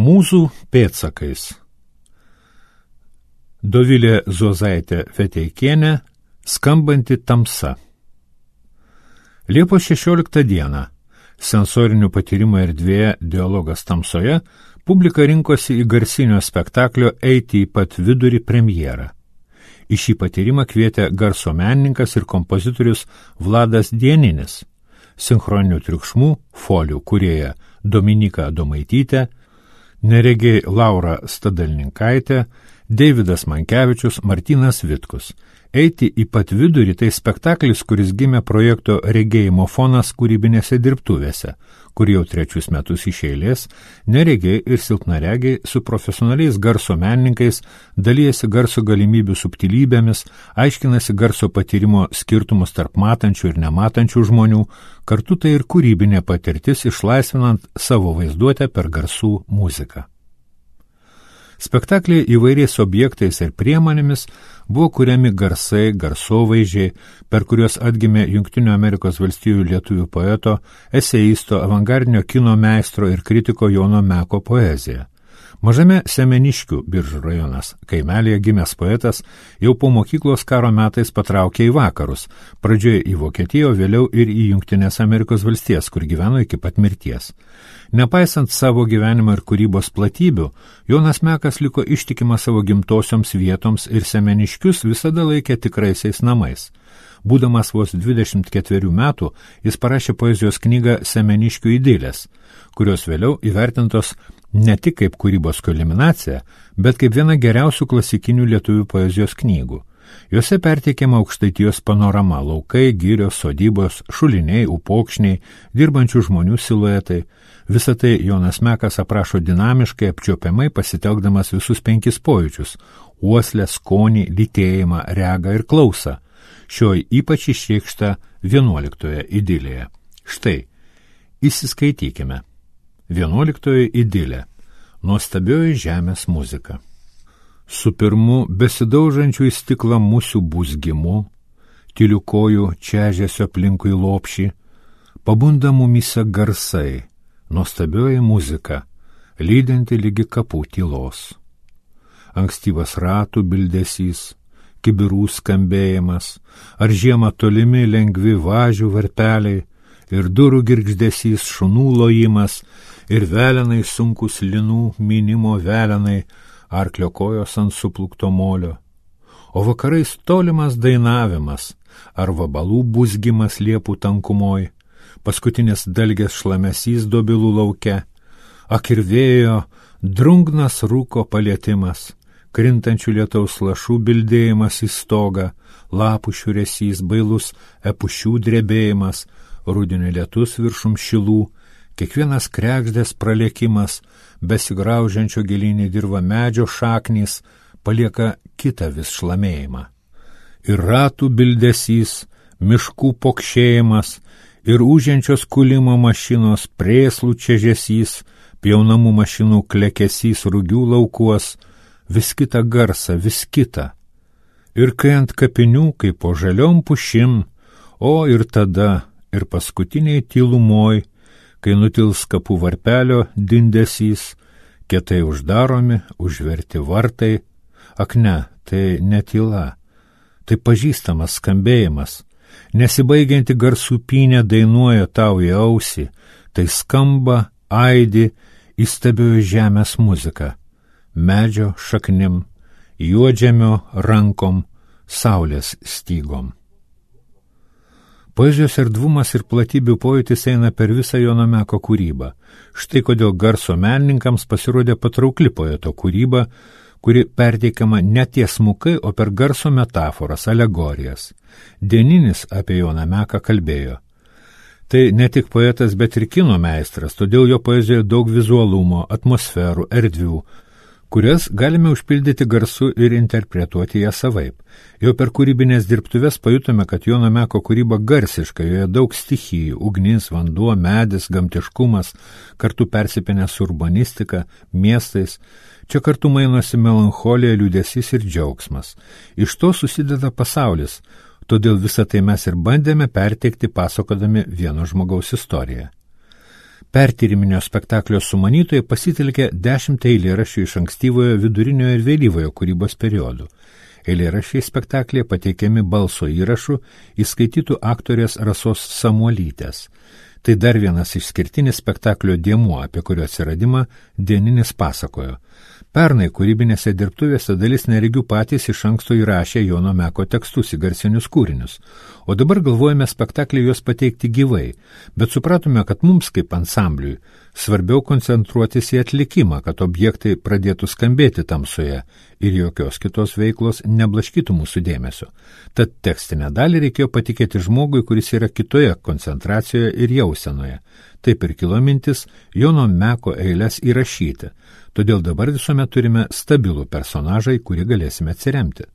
Mūzų pėdsakais. Dovilė Zuozaitė Feteikienė, Skambanti tamsa. Liepos 16 dieną, sensorinių patyrimų erdvėje Dialogas tamsoje, publika rinkosi į garsinio spektaklio Eiti į pat vidurį premjerą. Į šį patyrimą kvietė garso menininkas ir kompozitorius Vladas Dieninis, sinchroninių triukšmų folijų kūrėja Dominyka Adomaitytė, neregiai Laura Stadalninkaitė, Deividas Mankevičius, Martynas Vitkus. Eiti į pat vidurį tai spektaklis, kuris gimė projekto Regėjimo fonas kūrybinėse dirbtuvėse, kur jau 3 metus iš eilės neregiai ir silpnaregiai su profesionaliais garso menininkais dalyjasi garso galimybių subtilybėmis, aiškinasi garso patyrimo skirtumus tarp matančių ir nematančių žmonių, kartu tai ir kūrybinė patirtis išlaisvinant savo vaizduotę per garsų muziką. Spektakliai įvairiais objektais ir priemonėmis buvo kuriami garsai, garsovaizdžiai, per kuriuos atgimė Jungtinių Amerikos valstijų lietuvių poeto, eseisto, avangardinio kino meistro ir kritiko Jono Meko poezija. Mažame Semeniškių, Biržų rajonas, kaimelėje gimęs poetas jau po mokyklos karo metais patraukė į vakarus, pradžioje į Vokietiją, o vėliau ir į Jungtinės Amerikos valstijas, kur gyveno iki pat mirties. Nepaisant savo gyvenimo ir kūrybos platybių, Jonas Mekas liko ištikimas savo gimtosioms vietoms ir Semeniškius visada laikė tikraisiais namais. Būdamas vos 24 metų, jis parašė poezijos knygą Semeniškių idilės, kurios vėliau įvertintos ne tik kaip kūrybos kulminacija, bet kaip viena geriausių klasikinių lietuvių poezijos knygų. Jose perteikiama Aukštaitijos panorama, laukai, girios, sodybos, šuliniai, upokšniai, dirbančių žmonių siluetai. Visą tai Jonas Mekas aprašo dinamiškai, apčiuopiamai pasitelkdamas visus 5 pojūčius – uoslę, skonį, lytėjimą, regą ir klausą. Šioji ypač išreikšta 11 idilėje. Štai, įsiskaitykime. 11 idilė. Nuostabioji žemės muzika. Su pirmu besidaužančių į stiklą musių buzgimu, tylių kojų čežėsio aplinkui lopšį, pabunda mumyse garsai, nuostabioji muzika, lydinti lygi kapų tylos. Ankstyvas ratų bildesys, kibirų skambėjimas, ar žiemą tolimi lengvi važių varpeliai, ir durų girgždesys, šunų lojimas, ir velenai sunkus linų minimo velenai, arklio kojos ant suplukto molio. O vakarais tolimas dainavimas, ar vabalų buzgimas liepų tankumoj, paskutinis dalgės šlamesys dobilų lauke, ak ir vėjo, drungnas rūko palietimas, krintančių lietaus lašų bildėjimas į stogą, lapų šiuresys, bailus epušių drebėjimas, rudenio lietus viršum šilų, kiekvienas kregždės pralėkimas, besigraužiančio gilinį dirvą medžio šaknys, palieka kitą vis šlamėjimą. Ir ratų bildesys, miškų pokšėjimas, ir užžiančios kulimo mašinos prėslų čežesys, pjaunamų mašinų klekesys rugių laukuos, vis kitą garsą, vis kitą. Ir kai ant kapinių, kaip po žaliom pušim, o ir tada, ir paskutiniai tylumoj, kai nutils kapų varpelio dindesys, kietai uždaromi, užverti vartai, ak ne, tai ne tyla, tai pažįstamas skambėjimas, nesibaigianti garsų pynė dainuoja tau į ausį, tai skamba, aidi, įstabioji žemės muzika, medžio šaknim, juodžemio rankom, saulės stygom. Poezijos erdvumas ir platybių pojūtis eina per visą Jono Meko kūrybą. Štai kodėl garso menininkams pasirodė patraukli poeto kūryba, kuri perteikiama ne tiesmukai, o per garso metaforas, alegorijas. Dieninis apie Joną Meką kalbėjo. Tai ne tik poetas, bet ir kino meistras, todėl jo poezijoje daug vizualumo, atmosferų, erdvių, kurias galime užpildyti garsu ir interpretuoti ją savaip. Jau per kūrybinės dirbtuves pajutome, kad Jono Meko kūryba garsiška, joje daug stichijų, ugnis, vanduo, medis, gamtiškumas, kartu persipinę su urbanistika, miestais. Čia kartu mainosi melancholija, liūdesys ir džiaugsmas. Iš to susideda pasaulis, todėl visą tai mes ir bandėme perteikti pasakodami vieno žmogaus istoriją. Pertyriminio spektaklio sumanytojai pasitelkė 10 eilėraščių iš ankstyvojo, viduriniojo ir vėlyvojo kūrybos periodų. Eilėraščiai spektaklėje pateikiami balso įrašų įskaitytų aktorės Rasos Samuolytės. Tai dar vienas išskirtinis spektaklio dėmuo, apie kurio atsiradimą Dieninis pasakojo. Pernai kūrybinėse dirbtuvėse dalis neregių patys iš anksto įrašė Jono Meko tekstus į garsinius kūrinius, o dabar galvojame spektaklį juos pateikti gyvai, bet supratome, kad mums kaip ansambliui svarbiau koncentruotis į atlikimą, kad objektai pradėtų skambėti tamsoje ir jokios kitos veiklos neblaškytų mūsų dėmesio. Tad tekstinę dalį reikėjo patikėti žmogui, kuris yra kitoje koncentracijoje ir jausenoje. Taip ir kilo mintis Jono Meko eiles įrašyti. Todėl dabar visuomet turime stabilų personažą, į kurį galėsime atsiremti.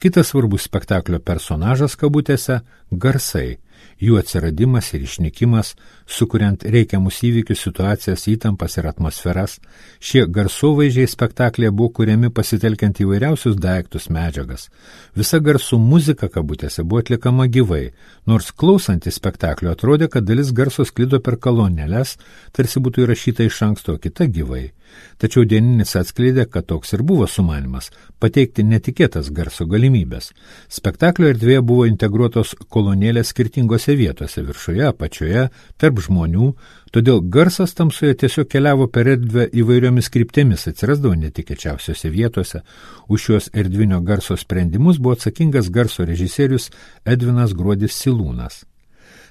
Kitas svarbus spektaklio personažas kabutėse – garsai, jų atsiradimas ir išnykimas, sukuriant reikiamus įvykius, situacijas, įtampas ir atmosferas. Šie garsovaizdžiai spektaklėje buvo kuriami pasitelkiant įvairiausius daiktus, medžiagas. Visa garsų muzika kabutėse buvo atlikama gyvai, nors klausantys spektaklio atrodė, kad dalis garso sklido per kolonėles, tarsi būtų įrašyta iš anksto, kita gyvai. Tačiau Dieninis atskleidė, kad toks ir buvo sumanymas – pateikti netikėtas garso galimybės. Spektaklio erdvėje buvo integruotos kolonėlės skirtingose vietose – viršuje, apačioje, tarp žmonių, todėl garsas tamsoje tiesiog keliavo per erdvę įvairiomis kryptėmis, atsirasdavo netikėčiausiose vietose. Už šios erdvinio garso sprendimus buvo atsakingas garso režisierius Edvinas Gruodis Silūnas.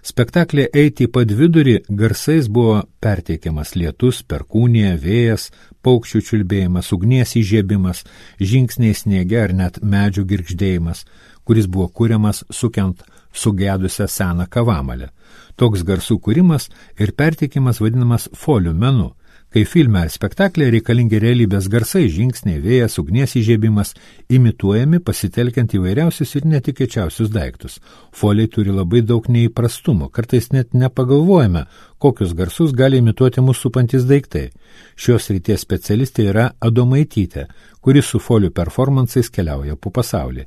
Spektaklė Eiti į padvidurį garsais buvo perteikiamas lietus, perkūnija, vėjas, paukščių čiulbėjimas, ugnies įžiebimas, žingsniai sniege ar net medžių girgždėjimas, kuris buvo kuriamas sukiant sugedusią seną kavamalę. Toks garsų kūrimas ir perteikimas vadinamas folių menu. Kai filme ar spektaklėje reikalingi realybės garsai, žingsniai, vėjas, ugnies įžiebimas, imituojami pasitelkiant įvairiausius ir netikėčiausius daiktus. Foliai turi labai daug neįprastumo, kartais net nepagalvojame, kokius garsus gali imituoti mūsų supantis daiktai. Šios srities specialistė yra Adomaitytė, kuris su folių performansais keliauja po pasaulį.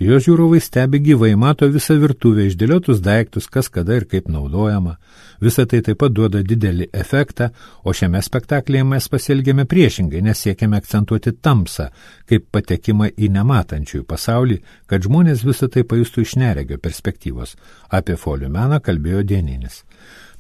Jos žiūrovai stebi gyvai, mato visą virtuvę, išdėliotus daiktus, kas kada ir kaip naudojama. Visa tai taip pat duoda didelį efektą, o šiame spektaklyje mes pasielgėme priešingai, nes siekiame akcentuoti tamsą, kaip patekimą į nematančiųjų pasaulį, kad žmonės visą tai pajustų iš neregio perspektyvos. Apie folių meną kalbėjo Dieninis.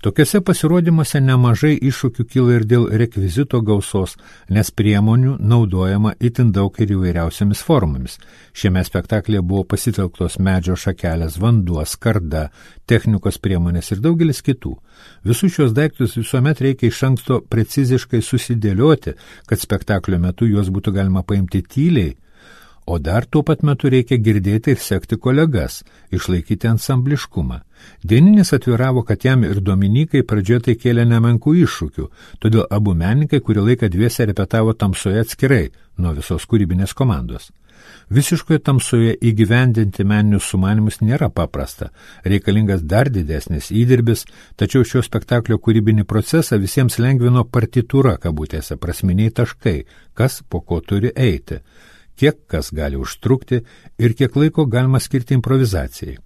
Tokiuose pasirodymuose nemažai iššūkių kyla ir dėl rekvizito gausos, nes priemonių naudojama itin daug ir įvairiausiamis formomis. Šiame spektaklėje buvo pasitelktos medžio šakelės, vanduo, skarda, technikos priemonės ir daugelis kitų. Visus šios daiktus visuomet reikia iš anksto preciziškai susidėlioti, kad spektaklio metu juos būtų galima paimti tyliai, o dar tuo pat metu reikia girdėti ir sekti kolegas, išlaikyti ansambliškumą. Dieninis atviravo, kad jam ir Dominikai pradžioje tai kėlė nemenkų iššūkių, todėl abu menininkai kurį laiką dviese repetavo tamsoje atskirai nuo visos kūrybinės komandos. Visiškoje tamsoje įgyvendinti meninius sumanymus nėra paprasta, reikalingas dar didesnis įdirbis, tačiau šio spektaklio kūrybinį procesą visiems lengvino partitūra kabutėse, prasminiai taškai, kas po ko turi eiti, kiek kas gali užtrukti ir kiek laiko galima skirti improvizacijai.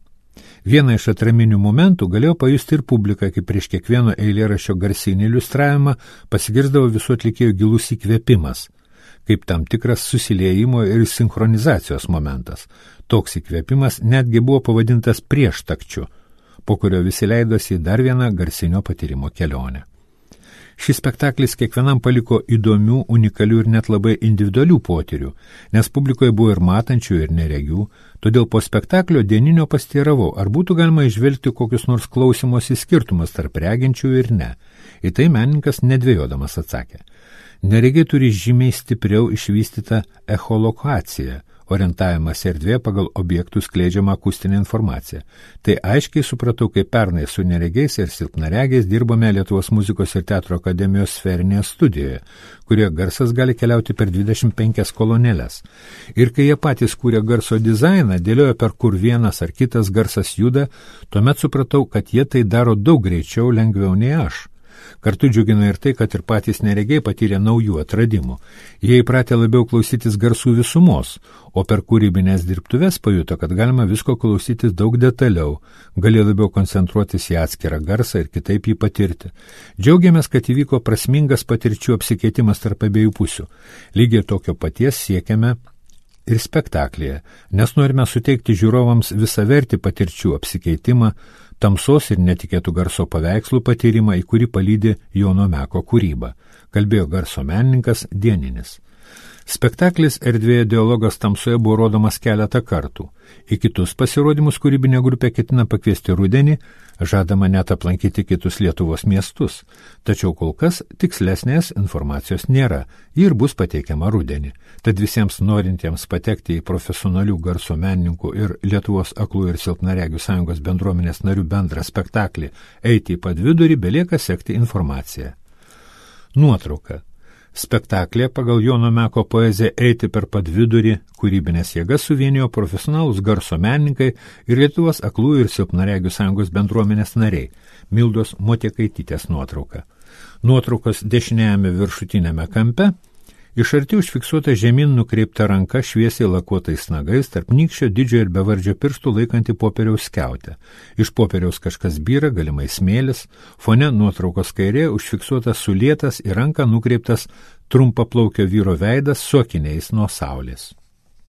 Vieną iš atraminių momentų galėjo pajusti ir publika, kai prieš kiekvieno eilėraščio garsinį iliustravimą pasigirsdavo visų atlikėjų gilus įkvėpimas, kaip tam tikras susiliejimo ir sinchronizacijos momentas. Toks įkvėpimas netgi buvo pavadintas prieštakčiu, po kurio visi leidosi į dar vieną garsinio patyrimo kelionę. Šis spektaklis kiekvienam paliko įdomių, unikalių ir net labai individualių potyrių, nes publikoje buvo ir matančių, ir neregių, todėl po spektaklio Dieninio pasteiravau, ar būtų galima išvelgti kokius nors klausymosi skirtumus tarp reginčių ir ne. Į tai menininkas nedvėjodamas atsakė. Neregiai turi žymiai stipriau išvystytą echolokaciją, orientavimas erdvė pagal objektų skleidžiamą akustinę informaciją. Tai aiškiai supratau, kai pernai su neregiais ir silpnaregiais dirbome Lietuvos muzikos ir teatro akademijos sferinėje studijoje, kurioje garsas gali keliauti per 25 kolonėles. Ir kai jie patys kūrė garso dizainą, dėliojo per kur vienas ar kitas garsas juda, tuomet supratau, kad jie tai daro daug greičiau, lengviau nei aš. Kartu džiugina ir tai, kad ir patys neregiai patyrė naujų atradimų. Jie įpratė labiau klausytis garsų visumos, o per kūrybinės dirbtuves pajuto, kad galima visko klausytis daug detaliau, gali labiau koncentruotis į atskirą garsą ir kitaip jį patirti. Džiaugiamės, kad įvyko prasmingas patirčių apsikeitimas tarp abiejų pusių. Lygiai tokio paties siekiame ir spektaklyje, nes norime suteikti žiūrovams visavertį patirčių apsikeitimą, tamsos ir netikėtų garso paveikslų patyrimą, į kurį palydi Jono Meko kūryba, kalbėjo garso menininkas Dieninis. Spektaklis Erdvėje dialogas tamsoje buvo rodomas keletą kartų. Į kitus pasirodymus kūrybinė grupė ketina pakviesti rudenį, žadama net aplankyti kitus Lietuvos miestus. Tačiau kol kas tikslesnės informacijos nėra, ji ir bus pateikiama rudenį. Tad visiems norintiems patekti į profesionalių garso menininkų ir Lietuvos aklų ir silpnaregių sąjungos bendruomenės narių bendrą spektaklį Eiti į Padvidurį belieka sekti informaciją. Nuotrauka. Spektaklė pagal Jono Meko poeziją Eiti per Padvidurį kūrybinės jėgas suvienijo profesionalūs garso menininkai ir Lietuvos aklų ir silpnaregių sąjungos bendruomenės nariai. Mildos Motiekaitytės nuotrauka. Nuotraukos dešiniajame viršutinėme kampe iš arti užfiksuota žemyn nukreipta ranka šviesiai lakuotais nagais, tarp nykščio didžio ir bevardžio pirštų laikanti popieriaus skiautę. Iš popieriaus kažkas byra, galimai smėlis, fone nuotraukos kairė užfiksuotas sulietas į ranką nukreiptas trumpaplaukio vyro veidas su akiniais nuo saulės.